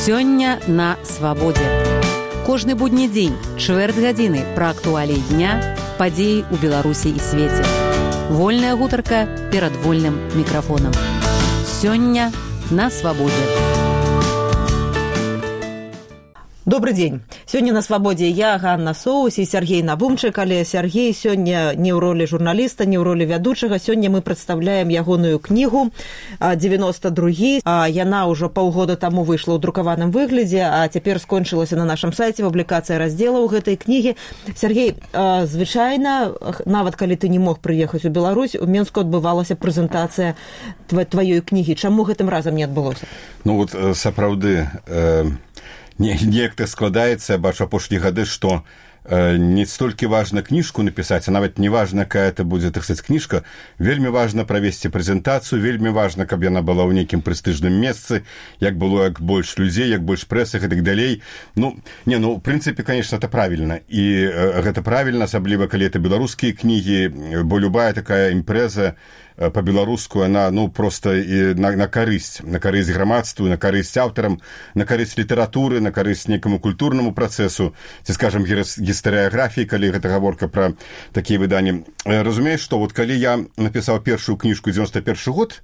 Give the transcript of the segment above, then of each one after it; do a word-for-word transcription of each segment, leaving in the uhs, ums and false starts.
Сёння на свабодзе. Кожны будні дзень, чвэрць гадзіны пра актуаліі дня, падзеі ў Беларусі і свеце. Вольная гутарка перад вольным мікрафонам. Сёння на свабодзе. Добрый дзень. Сёння на свабодзе я, Ганна Соус і Сергей Навумчык, але Сергей сёння не ў ролі журналіста, не ў ролі вядучага. Сёння мы прадстаўляем ягоную кнігу девяносто другі. Яна ўжо паўгода таму выйшла ў друкаваным выглядзе, а цяпер скончылася на нашым сайце публікацыя раздзелаў гэтай кнігі. Сергей, звычайна, нават калі ты не мог прыехаць у Беларусь, у Менску адбывалася прэзентацыя тваёй кнігі. Чаму гэтым разам не адбылося? Ну вот сапраўды... Э... Неяк так складаецца, бачу апошнія гады, што э, не столькі важна кніжку напісаць, а нават не важна, якая это будзе, так сказаць, кніжка. Вельмі важна правесці прэзентацыю, вельмі важна, каб яна была ў нейкім прэстыжным месцы, як было як больш людзей, як больш прэсы і так далей. Ну, не, ну, в прынцыпе, конечно, это правільна. І э, гэта правільна, асабліва, калі это беларускія кнігі, бо любая такая імпрэза по-беларуску, она, ну, просто на, на карысць, на карысць грамадству, на карысць аўтарам, на карысць літаратуры, на карысць некаму культурнаму працэсу, ці, скажам, гістарыяграфіі, калі гэта гаворка пра такія выданні. Разумееш, што вот калі я напісаў першую кніжку девяносто первый год,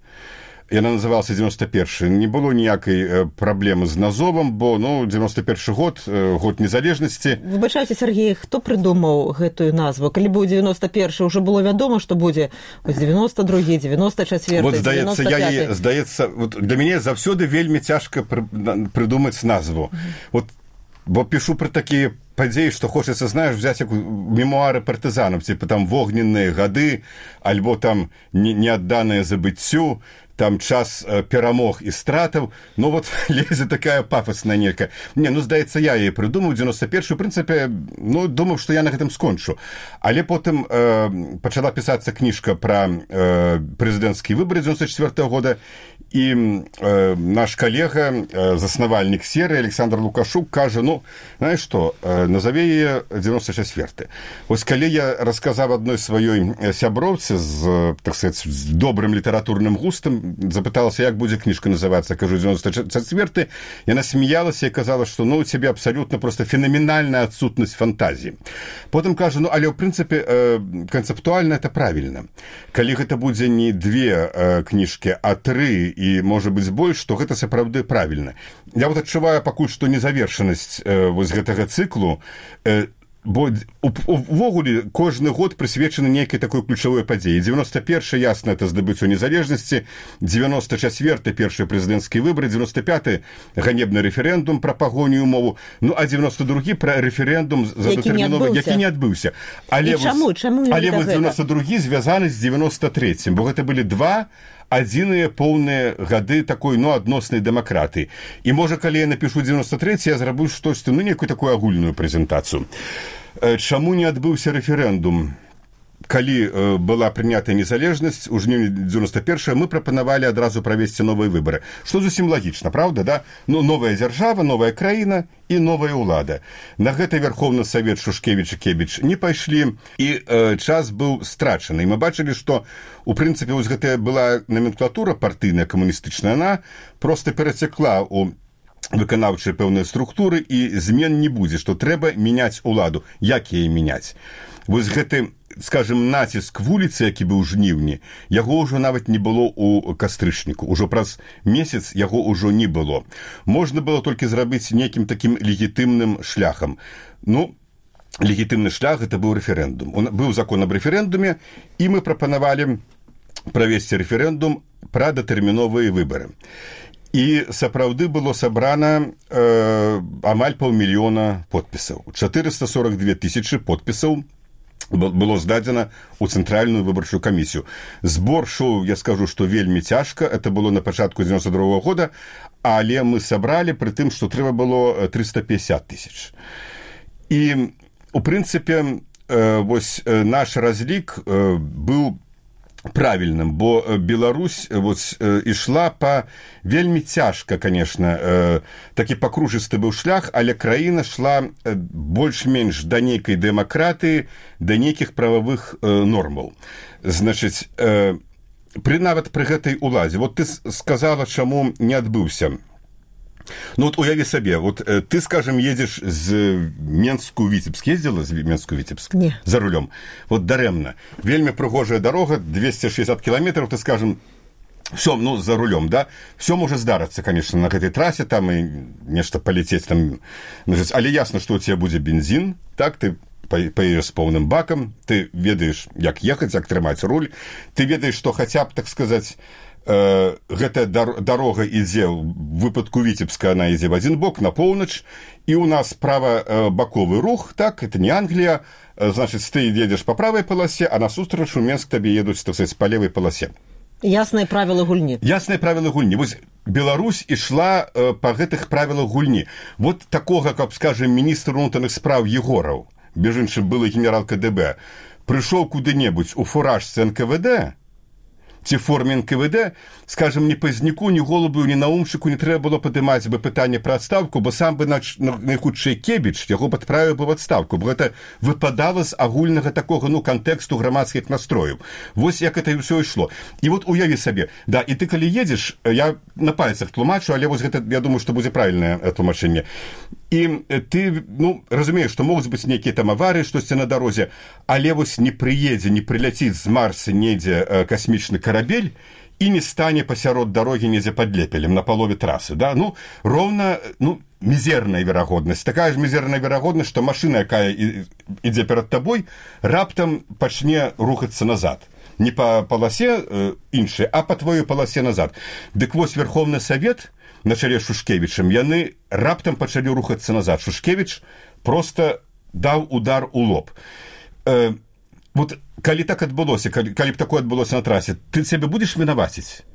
яна называлася девяносто первый, не было ніякай праблемы з назовам, бо, ну, девяносто первый год, год незалежнасці. Выбачайце, Сергей, хто прыдумаў гэтую назву? Калі быў девяносто первый, ўжо было вядома, што будзе девяносто другі, девяносто четвёрты, вот, здаецца, девяносто пятый. Я, здаецца, вот для мяне заўсёды вельмі цяжка прыдумаць назву. Вот, бо пішу пра такія падзеі, што хочацца, знаеш, взяць як мемуары партызанаў, типа там вогненныя гады, альбо там неадданыя забыццю, там час э, перамог і стратаў, ну вот лезе такая пафосная нейкая. Не, ну, здаецца, я яе прыдумаў девяносто первый, в прынцыпе, ну, думаў, што я на гэтым скончу. Але потым э, пачала пісацца кніжка пра э, прэзідэнцкія выбары девяносто четвёртого года, і э, наш калега, э, заснавальнік серыі Александр Лукашук кажа, ну, знаеш што, э, назаве яе девяносто четвёрты. Вось калі я расказаў адной сваёй сяброўцы з, так сказать, з добрым літаратурным густам, запыталася, як будзе кніжка называцца, кажу, девяносто четвёрты, яна смеялася і казала, што, ну, у цябе абсалютна просто фенаменальная адсутнасць фантазіі. Потым кажа, ну, але ў прынцыпе э, канцэптуальна это правільна. Калі гэта будзе не две э, кніжкі, а тры і, можа быць, больш, то гэта сапраўды правільна. Я вот адчуваю пакуль што незавершанасць э, вось гэтага цыклу, э, бо увогуле кожны год прысвечаны нейкай такой ключавой падзеі. девяносто первый, ясна, это здабыццё незалежнасці, девяносто четвёрты, першыя прэзідэнцкія выбары, девяносто пятый, ганебны рэферэндум пра пагоню мову, ну, а девяносто другі пра рэферэндум задатэрміновы, які не адбыўся. Але, чаму? вось, Чаму але вось девяносто другі звязаны з девяносто третьим, бо гэта былі два адзіныя поўныя гады такой, ну, адноснай дэмакратыі. І, можа, калі я напішу девяносто третий, я зраблю штосьці, ну, некую такую агульную прэзентацыю. Чаму не адбыўся рэферэндум? Калі э, была прынятая незалежнасць у жніўні девяносто первого, мы прапанавалі адразу правесці новыя выбары. Што зусім лагічна, правда, да? Ну, новая дзяржава, новая краіна і новая ўлада. На гэта Верховны Савет Шушкевіч і Кебіч не пайшлі, і э, час быў страчаны. І мы бачылі, што, у прынцыпе, вось гэтая была номенклатура партыйная, камуністычная, она проста перацякла ў выканаўчыя пэўныя структуры, і змен не будзе, што трэба мяняць уладу. Як яе мяняць? Вось гэты, скажем, націск вуліцы, які быў у жніўні, яго ўжо нават не было ў кастрычніку. Ужо праз месяц яго ўжо не было. Можна было толькі зрабіць нейкім такім легітымным шляхам. Ну, легітымны шлях — гэта быў рэферэндум. Быў закон аб рэферэндуме, і мы прапанавалі правесці рэферэндум пра датэрміновыя выбары. І сапраўды было сабрана э, амаль паўмільёна подпісаў. четыреста сорок две тысячи подпісаў было здадзена ў цэнтральную выбарчую камісію. Збор шоу, я скажу, што вельмі цяжка. Это было на пачатку девяносто другого года, але мы сабралі пры тым, што трэба было триста пятьдесят тысяч. І, у прынцыпе, э, вось э, наш разлік э, быў правільным, бо Беларусь вот, э, ішла па вельмі цяжка, конечно, э, такі пакружысты быў шлях, але краіна шла э, больш-менш да нейкай дэмакратыі, да нейкіх прававых э, нормаў. Значыць, э, пры нават пры гэтай уладзе. Вот ты сказала, чаму не адбыўся Ну вот уяви себе, вот э, ты, скажем, едешь з Менску в Витебск. Ездила з Менску в Витебск? Не. За рулем. Вот даремно. Вельми пригожая дорога, двести шестьдесят километров, ты, скажем, все, ну, за рулем, да, все может здариться, конечно, на этой трассе, там и нечто полететь, там, але ясно, что у тебя будет бензин, так, ты поедешь с полным баком, ты ведаешь, как ехать, как трымать руль, ты ведаешь, что хотя бы, так сказать, э, эта дорога идет, в выпадку Витебска она идет в один бок, на полночь, и у нас право-боковый рух, так, это не Англия, значит, ты едешь по правой полосе, а насустрач у Менск тебе едут, так сказать, по левой полосе. Ясныя правілы гульні. Ясныя правілы гульні. Вось Беларусь ішла э, па гэтых правілах гульні. Вот такога, каб, скажем, міністр унутраных спраў Егораў, без іншым былы генерал ка дэ бэ, прыйшоў куды-небудзь у фуражцы эн ка вэ дэ, ці форме эн ка вэ дэ, скажем, ні Пазняку, ні Голубу, ні Наумчыку не трэба было падымаць бы пытанне пра адстаўку, бо сам бы найхутчэй Кебіч яго падправіў бы в адстаўку, бо гэта выпадала з агульнага такога, ну, кантэксту грамадскіх настрояў. Вось як это ўсё ішло. І вот уяві сабе, да, і ты калі едзеш, я на пальцах тлумачу, але вось гэта, я думаю, што будзе правільнае тлумачэнне. І ты, ну, разумееш, што могуць быць нейкія там аварыі, штосьці на дарозе, але вось не прыедзе, не прыляціць з Марса недзе касмічны карабель і не стане пасярод дарогі недзе пад Лепелем на палове трасы, да? Ну, роўна, ну, мізерная верагоднасць. Такая ж мізерная верагоднасць, што машына, якая ідзе перад табой, раптам пачне рухацца назад. Не па паласе э, іншай, а па твоёй паласе назад. Дык вось Верховны Савет на чале з Шушкевічам, яны раптам пачалі рухацца назад. Шушкевіч проста даў удар у лоб. Э, вот калі так адбылося, калі, калі б такое адбылося на трасе, ты сябе будзеш вінаваціць?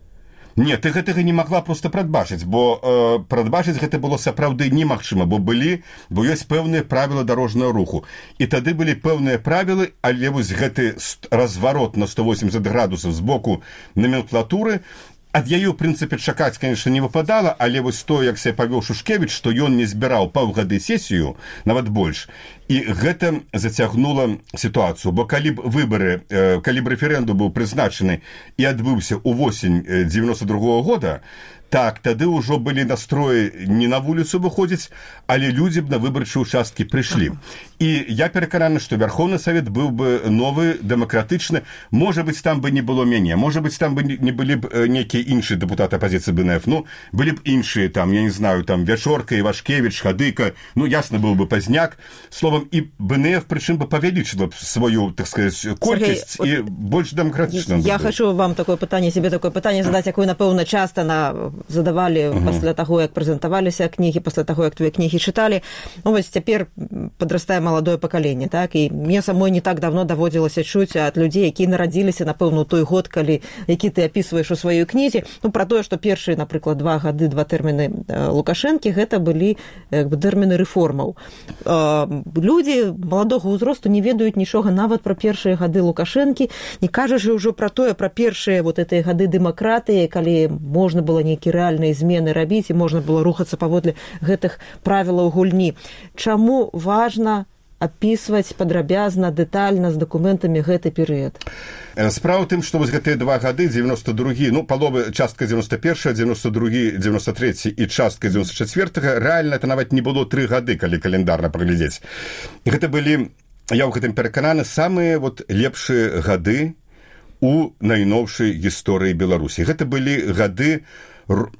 Не, ты гэтага не магла проста прадбачыць, бо э, прадбачыць гэта было сапраўды немагчыма, бо былі, бо ёсць пэўныя правілы дарожнага руху. І тады былі пэўныя правілы, але вось гэты разварот на сто восемьдесят градусаў з боку номенклатуры, ад яе, ў прынцыпе, чакаць, конечно, не выпадала, але вось то, як себе павёў Шушкевіч, што ён не збіраў паўгады сесію, нават больш, і гэта зацягнула сітуацыю. Бо калі б выбары, калі б рэферэндум быў прызначаны і адбыўся ў восень девяносто другого года, так, тады ўжо былі настроі не на вуліцу выходзіць, але людзі б на выбарчыя участкі прыйшлі. І я перакананы, што Верховны Савет быў бы новы, дэмакратычны. Можа быць, там бы не было мяне, можа быць, там бы не былі б нейкія іншыя дэпутаты апазіцыі бэ эн эф, ну, былі б іншыя, там, я не знаю, там, Вячорка, Івашкевіч, Хадыка, ну, ясна, быў бы Пазняк. Словом, і бэ эн эф, прычым бы павялічыла б сваю, так сказать, колькасць і больш дэмакратычна. Я хочу вам такое пытанне, себе такое пытанне задаць, якое, напэўна, часта на задавалі uh-huh. пасля таго, як прэзентаваліся кнігі, пасля таго, як твае кнігі чыталі. Ну, вось цяпер падрастае маладое пакаленне, так? І мне самой не так давно даводзілася чуць ад людзей, якія нарадзіліся, напэўна, у той год, калі, які ты апісваеш у сваёй кнізе, ну, пра тое, што першыя, напрыклад, два гады, два тэрміны Лукашэнкі, гэта былі, як бы, тэрміны рэформаў. Людзі маладога ўзросту не ведаюць нічога нават пра першыя гады Лукашэнкі, не кажучы ўжо пра тое, пра першыя вот гэтыя гады дэмакратыі, калі можна было нейкі рэальныя змены рабіць і можна было рухацца паводле гэтых правілаў гульні. Чаму важна апісваць падрабязна, дэтальна з дакументамі гэты перыяд? Справа ў тым, што вось гэтыя два гады, девяносто другі, ну, паловы, частка девяносто першы, девяносто другі, девяносто трэці і частка девяносто чацвёртага, рэальна это нават не было тры гады, калі календарна праглядзець. Гэта былі, я ў гэтым перакананы, самыя вот лепшыя гады у найноўшай гісторыі Беларусі. Гэта былі гады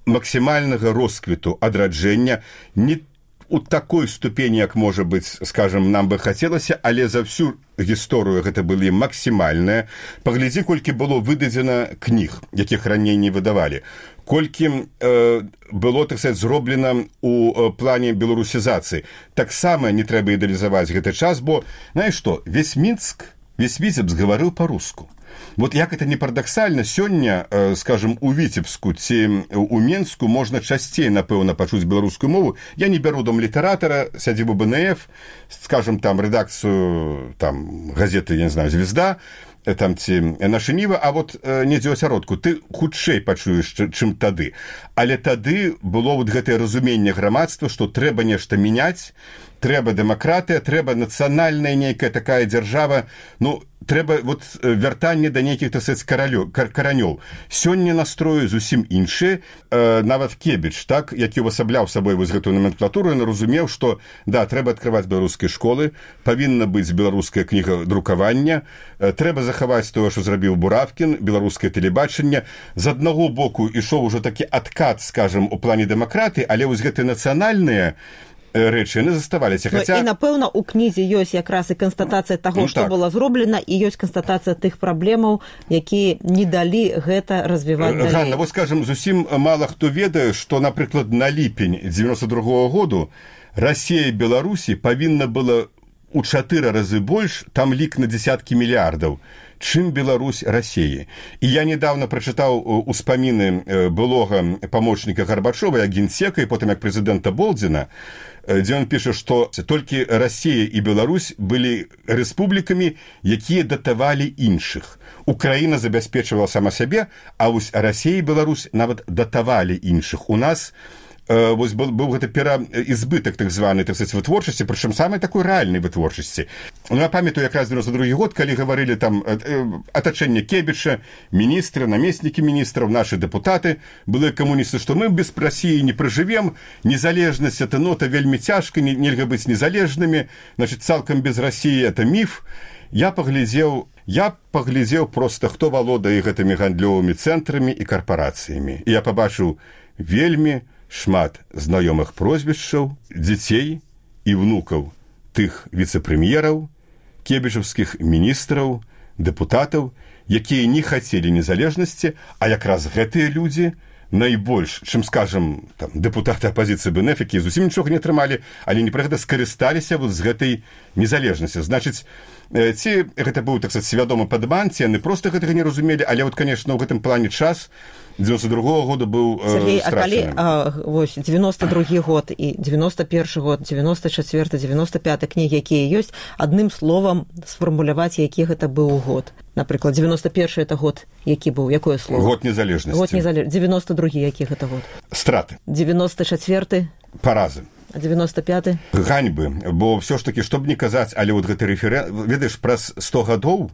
максімальнага росквіту, адраджэння, не у такой ступені, як можа быць, скажем, нам бы хацелася, але за всю гісторыю гэта былі максімальныя. Паглядзі, колькі было выдадзена кніг, якіх раней не выдавалі. Колькі э, было, так сказать, зроблена у э, плане беларусізацыі. Таксама не трэба ідэалізаваць гэты час, бо, знаеш што, весь Мінск, весь Віцебск гаварыў па-руску. Вот як это не парадаксальна, сёння, э, скажем, у Віцебску ці у Менску можна часцей, напэўна, пачуць беларускую мову. Я не бяру дом літаратара, сядзібу бэ эн эф, скажем, там, рэдакцыю, там, газеты, я не знаю, «Звезда», там ці «Наша Ніва», а вот э, недзе ў асяродку, ты хутчэй пачуеш, чым тады. Але тады было вот гэтае разуменне грамадства, што трэба нешта мяняць, трэба дэмакратыя, трэба нацыянальная нейкая такая дзяржава. Ну, трэба вот вяртанне да нейкіх, так сказаць, каранёў. Сёння настроі зусім іншыя. Нават Кебіч, так, які увасабляў сабой вось гэтую номенклатуру, ён разумеў, што, да, трэба адкрываць беларускія школы, павінна быць беларуская кніга друкавання, трэба захаваць тое, што зрабіў Буравкін, беларускае тэлебачанне. З аднаго боку ішоў ужо такі адкат, скажам, у плане дэмакраты, але вось гэтыя нацыянальныя рэчы яны заставаліся. Хаця... І, напэўна, у кнізе ёсць якраз і канстатацыя таго, ну, што так. было зроблена, і ёсць канстатацыя тых праблемаў, якія не далі гэта развіваць далей. Ганна, вот, скажем, зусім мала хто ведае, што, напрыклад, на ліпень дзевяносто другога году Расія і Беларусі павінна была у чатыры разы больш, там лік на дзесяткі мільярдаў, чым Беларусь Расіі. І я недавно прачытаў успаміны былога памочніка Гарбачова, як генсека, і потым як прэзідэнта Болдзіна, дзе ён піша, што толькі Расія і Беларусь былі рэспублікамі, якія датавалі іншых. Украіна забяспечвала сама сябе, а вось Расія і Беларусь нават датавалі іншых. У нас вось был, быў гэта пераізбытак так званы, так сказаць, вытворчасці, прычым самай такой рэальнай вытворчасці. Ну, я памятаю якраз дзевяносто другі год, калі гаварылі там атачэнне Кебіча, міністры, намеснікі міністраў, нашы дэпутаты, былыя камуністы, што мы без Расіі не пражывем, незалежнасць это нота вельмі цяжка, нельга быць незалежнымі, значит, цалкам без Расіі это міф. Я паглядзеў, я паглядзеў проста, хто валодае гэтымі гандлёвымі цэнтрамі і карпарацыямі. І я пабачыў вельмі шмат знаёмых прозвішчаў, дзяцей і внукаў тых віцэ-прэм'ераў, кебічаўскіх міністраў, дэпутатаў, якія не хацелі незалежнасці, а якраз гэтыя людзі найбольш, чым, скажам, там, дэпутаты апазіцыі БНФ, якія зусім нічога не атрымалі, але не пра гэта скарысталіся вот з гэтай незалежнасці. Значыць, ці гэта быў, так сказаць, свядомы падман, ці яны проста гэтага не разумелі, але вот, конечно, ў гэтым плане час дзевяносто другога года быў Сергей, э, страшны. А калі а, вось, девяносто другі год і девяносто першы год, девяносто чацвёрты, девяносто пяты кнігі, якія ёсць, адным словам сфармуляваць, які гэта быў год. Напрыклад, девяносто першы это год, які быў, якое слово? Год незалежнасці. Год незалежнасці. девяносто другі, які гэта год? Страты. девяносто чацвёрты? Паразы. А девяносто пяты? Ганьбы, бо ўсё ж такі, што б не казаць, але вот гэты рэферэн... Ведаеш, праз сто гадоў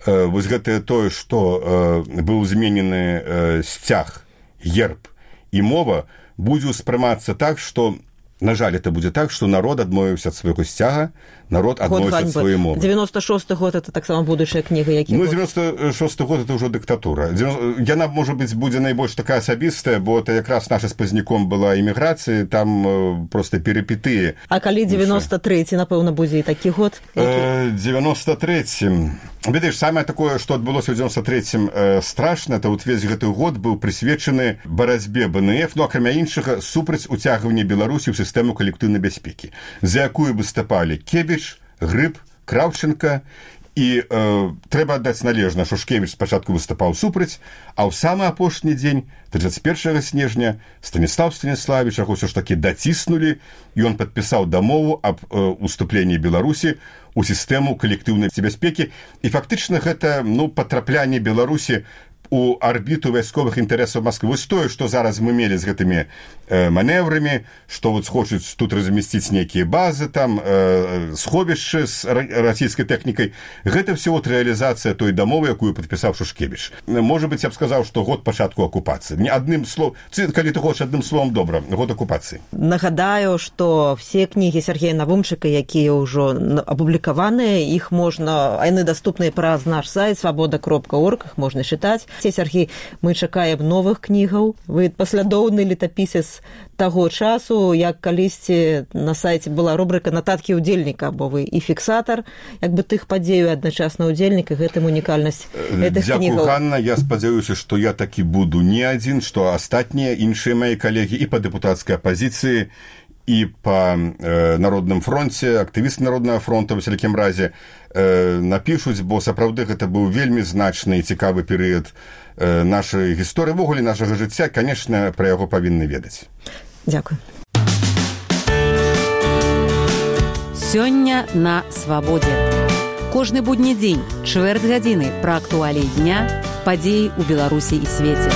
э, вось гэтае тое, што э, быў зменены э, сцяг, герб і мова, будзе ўспрымацца так, што, на жаль, это будзе так, што народ адмовіўся ад свайго сцяга, народ адмовіўся ад сваёй мовы. девяносто шосты год это таксама будучая кніга, які Ну, девяносто шосты год это ўжо дыктатура. Яна, можа быць, будзе найбольш такая асабістая, бо это якраз наша з пазніком была эміграцыя, там э, проста перипетыі. А калі девяносто трэці, напэўна, будзе і такі год? Э, девяносто трэцім. Ведаеш, самае такое, што адбылося ў девяносто трэцім э, страшна, то вот весь гэты год быў прысвечаны барацьбе БНФ, ну, акрамя іншага, супраць уцягвання Беларусі ў сістэму калектыўнай бяспекі, за якую выступалі Кебіч, Грыб, Краўченка, і э, трэба аддаць належна, што Шкевіч спачатку выступаў супраць, а ў самы апошні дзень, тридцать первого снежня, Станіслав Станіславіч яго ўсё ж такі даціснулі, і ён падпісаў дамову аб э, уступленні Беларусі у сістэму калектыўнай бяспекі, і фактычна гэта, ну, патраплянне Беларусі у арбіту вайсковых інтарэсаў Масквы. Вось тое, што зараз мы мелі з гэтымі э, манеўрамі, што вот хочуць тут размясціць нейкія базы, там, э, сховішчы з расійскай тэхнікай, гэта все вот рэалізацыя той дамовы, якую падпісаў Шушкевіч. Можа быць, я б сказаў, што год пачатку акупацыі. Не адным словом, калі ты хочаш адным словом, добра, год акупацыі. Нагадаю, што все кнігі Сергея Навумчыка, якія ўжо апублікаваныя, іх можна, яны даступныя праз наш сайт свабода кропка орг, іх можна чытаць. Сергей, мы чакаем новых кнігаў. Вы паслядоўны летапісец таго часу, як калісьці на сайце была рубрыка «Нататкі ўдзельніка», бо вы і фіксатар, як бы тых падзеяў адначасна ўдзельнік, і гэтым унікальнасць гэтых кнігаў. Дзякую, Ганна, я спадзяюся, што я такі буду не адзін, што астатнія іншыя мае калегі і па дэпутацкай апазіцыі, і па э, Народным фронце, актывісты Народнага фронта, ў усялякім разе, э, напішуць, бо сапраўды гэта быў вельмі значны і цікавы перыяд э, нашай гісторыі, ввогуле нашага жыцця, канешне, пра яго павінны ведаць. Дзякуй. Сёння на свабодзе. Кожны будні дзень, чвэрць гадзіны пра актуаліі дня, падзеі ў Беларусі і свеце.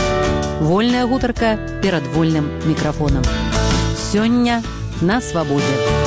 Вольная гутарка перад вольным мікрафонам. Сёння на свабодзе.